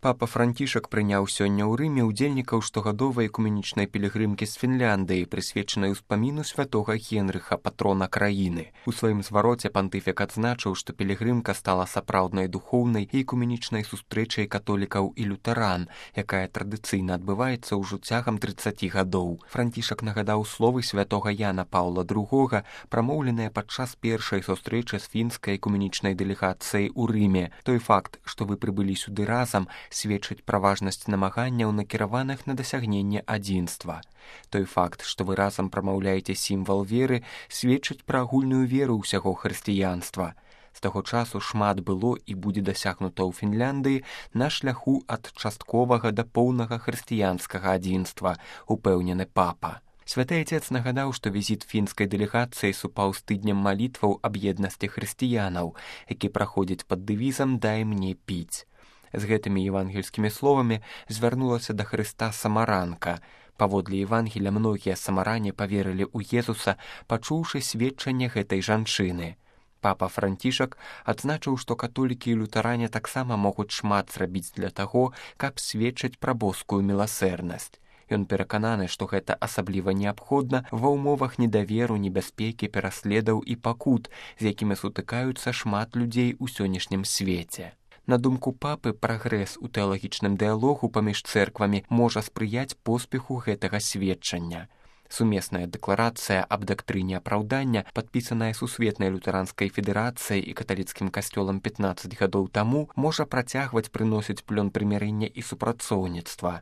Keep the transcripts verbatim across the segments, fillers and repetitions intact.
Папа Францішак прыняў сёння ў Рыме ўдзельнікаў штогадовай экуменічнай пілігрымкі з Фінляндыі, прысвечанай успаміну святога Генрыха, патрона краіны. У сваім звароце пантыфік адзначыў, што пілігрымка стала сапраўднай духоўнай і экуменічнай сустрэчай католікаў і лютаран, якая традыцыйна адбываецца ўжо цягам трыццаці гадоў. Францішак нагадаў словы святога Яна Паўла другога, прамоўленыя падчас першай сустрэчы з фінскай экуменічнай дэлегацыяй у Рыме. Той факт, што вы прыбылі сюды разам, сведчыць пра важнасць намаганняў, накіраваных на дасягненне адзінства. Той факт, што вы разам прамаўляеце сімвал веры, сведчыць пра агульную веру ўсяго хрысціянства. З таго часу шмат было і будзе дасягнута ў Фінляндыі на шляху ад частковага да поўнага хрысціянскага адзінства, упэўнены папа. Святы Отец нагадаў, што візіт фінскай дэлегацыі супаў з тыднем малітваў аб еднасці хрысціянаў, які праходзіць пад дэвізам «Дай мне піць». З гэтымі евангельскімі словамі звярнулася да Хрыста самаранка. Паводле Евангеля многія самаране паверылі ў Езуса, пачуўшы сведчанне гэтай жанчыны. Папа Францішак адзначыў, што католікі і лютаране таксама могуць шмат зрабіць для таго, каб сведчыць пра боскую міласэрнасць. Ён перакананы, што гэта асабліва неабходна ва ўмовах недаверу, небяспекі, пераследаў і пакут, з якімі сутыкаюцца шмат людзей у сённяшнім свеце. На думку папы, прагрэс у тэалагічным дыялогу паміж цэрквамі можа спрыяць поспеху гэтага сведчання. Сумесная дэкларацыя аб дактрыне апраўдання, падпісаная Сусветнай лютэранскай федэрацыяй і каталіцкім касцёлам пятнаццаць гадоў таму, можа працягваць прыносіць плён прымірэння і супрацоўніцтва.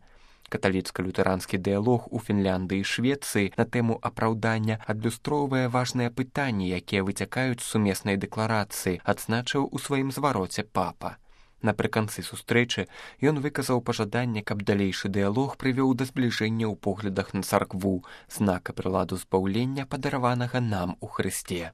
Каталіцка-лютеранскі дыялог у Фінляндыі і Швецыі на тэму апраўдання адлюстроўвае важныя пытанні, якія выцякаюць з сумеснай дэкларацыі, адзначыў у сваім звароце папа. Напрыканцы сустрэчы ён выказаў пажаданне, каб далейшы дыялог прывёў да збліжэння ў поглядах на царкву, знака прыладу збаўлення, падараванага нам у Хрысце.